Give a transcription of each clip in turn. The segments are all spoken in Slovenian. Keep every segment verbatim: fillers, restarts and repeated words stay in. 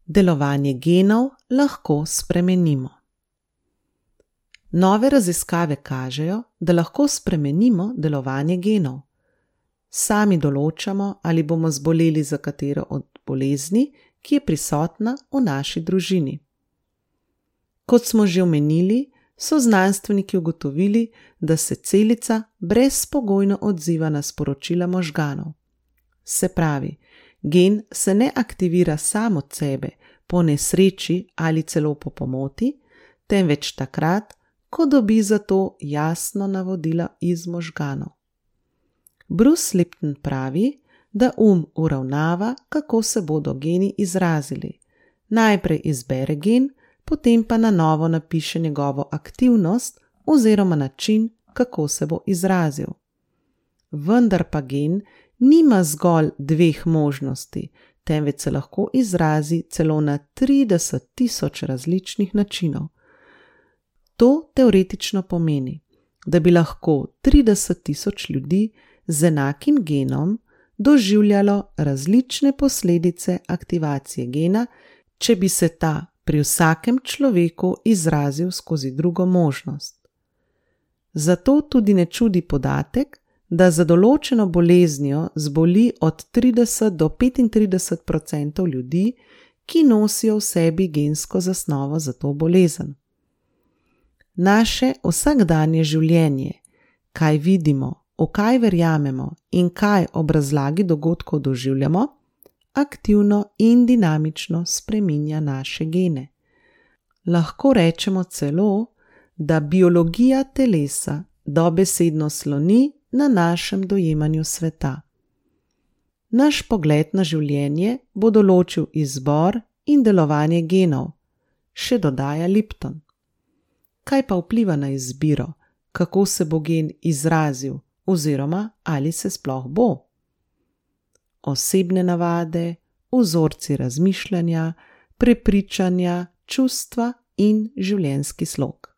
Delovanje genov lahko spremenimo. Nove raziskave kažejo, da lahko spremenimo delovanje genov. Sami določamo, ali bomo zboleli za katero od bolezni, ki je prisotna v naši družini. Kot smo že omenili, so znanstveniki ugotovili, da se celica brezpogojno odziva na sporočila možganov. Se pravi, gen se ne aktivira sam od sebe, po nesreči ali celo po pomoti, temveč takrat, ko dobi za to jasno navodila iz možganov. Bruce Lipton pravi, da um uravnava, kako se bodo geni izrazili. Najprej izbere gen, potem pa na novo napiše njegovo aktivnost oziroma način, kako se bo izrazil. Vendar pa gen nima zgolj dveh možnosti, temveč se lahko izrazi celo na trideset tisoč različnih načinov. To teoretično pomeni, da bi lahko trideset tisoč ljudi z enakim genom doživljalo različne posledice aktivacije gena, če bi se ta pri vsakem človeku izrazil skozi drugo možnost. Zato tudi ne čudi podatek, da za določeno boleznijo zboli od trideset do petintrideset procentov ljudi, ki nosijo v sebi gensko zasnovo za to bolezen. Naše vsakdanje življenje, kaj vidimo, v kaj verjamemo in kaj ob razlagi dogodkov doživljamo, aktivno in dinamično spreminja naše gene. Lahko rečemo celo, da biologija telesa dobesedno sloni na našem dojemanju sveta. Naš pogled na življenje bo določil izbor in delovanje genov, še dodaja Lipton. Kaj pa vpliva na izbiro, kako se bo gen izrazil oziroma ali se sploh bo? Osebne navade, vzorci razmišljanja, prepričanja, čustva in življenjski slog.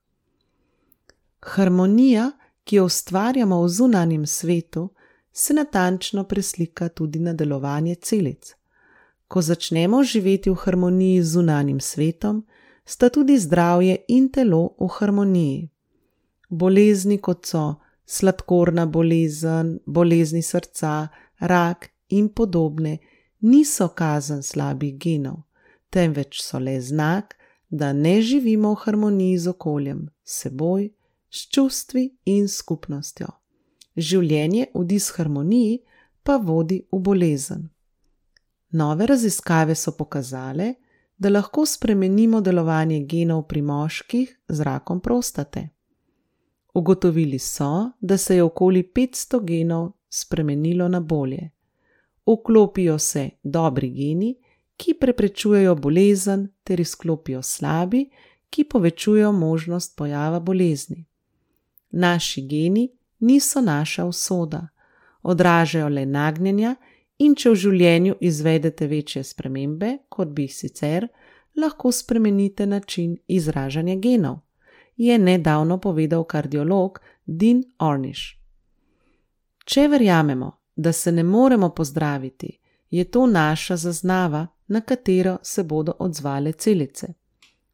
Harmonija, ki jo ustvarjamo v zunanjem svetu, se natančno preslika tudi na delovanje celic. Ko začnemo živeti v harmoniji z zunanjim svetom, sta tudi zdravje in telo v harmoniji. Bolezni, kot so sladkorna bolezen, bolezni srca, rak in podobne, niso kazen slabih genov, temveč so le znak, da ne živimo v harmoniji z okoljem, s seboj, s čustvi in skupnostjo. Življenje v disharmoniji pa vodi v bolezen. Nove raziskave so pokazale, da lahko spremenimo delovanje genov pri moških z rakom prostate. Ugotovili so, da se je okoli petsto genov spremenilo na bolje. Vklopijo se dobri geni, ki preprečujejo bolezen, ter izklopijo slabi, ki povečujejo možnost pojava bolezni. Naši geni niso naša usoda, odražajo le nagnjenja in če v življenju izvedete večje spremembe, kot bi jih sicer, lahko spremenite način izražanja genov, je nedavno povedal kardiolog Dean Ornish. Če verjamemo, da se ne moremo pozdraviti, je to naša zaznava, na katero se bodo odzvale celice.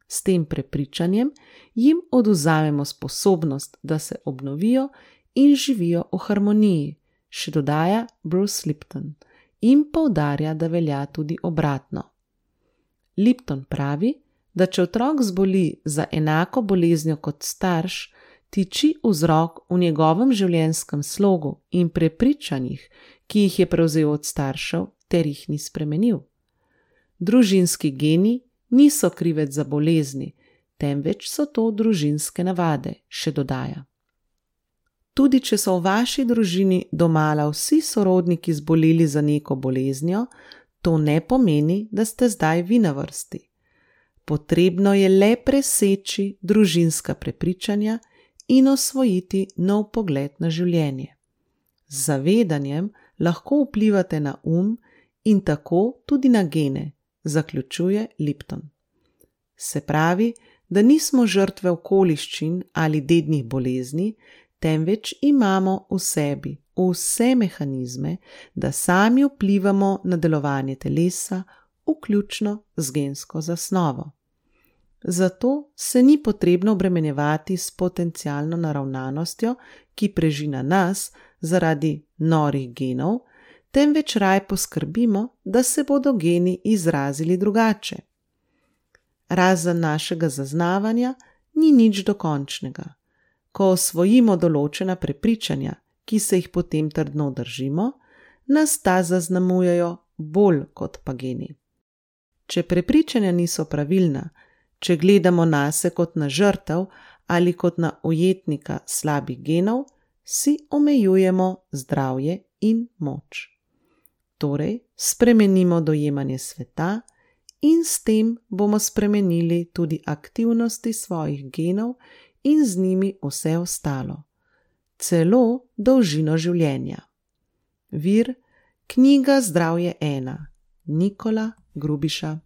S tem prepričanjem jim odvzamemo sposobnost, da se obnovijo in živijo v harmoniji, še dodaja Bruce Lipton, in poudarja, da velja tudi obratno. Lipton pravi, da če otrok zboli za enako boleznjo kot starš, tiči vzrok v njegovem življenjskem slogu in prepričanjih, ki jih je prevzel od staršev ter jih ni spremenil. Družinski geni niso krivec za bolezni, temveč so to družinske navade, še dodaja. Tudi če so v vaši družini domala vsi sorodniki zboleli za neko boleznjo, to ne pomeni, da ste zdaj vi na vrsti. Potrebno je le preseči družinska prepričanja in osvojiti nov pogled na življenje. Z zavedanjem lahko vplivate na um in tako tudi na gene, zaključuje Lipton. Se pravi, da nismo žrtve okoliščin ali dednih bolezni, temveč imamo v sebi vse mehanizme, da sami vplivamo na delovanje telesa, vključno z gensko zasnovo. Zato se ni potrebno obremenjevati s potencialno naravnanostjo, ki preži na nas zaradi norih genov, temveč raje poskrbimo, da se bodo geni izrazili drugače. Razen našega zaznavanja ni nič dokončnega. Ko osvojimo določena prepričanja, ki se jih potem trdno držimo, nas ta zaznamujejo bolj kot pa geni. Če prepričanja niso pravilna, če gledamo nase kot na žrtev ali kot na ujetnika slabih genov, si omejujemo zdravje in moč. Torej, spremenimo dojemanje sveta in s tem bomo spremenili tudi aktivnosti svojih genov in z njimi vse ostalo, celo dolžino življenja. Vir: knjiga Zdravje ena, Nikola Grubiša.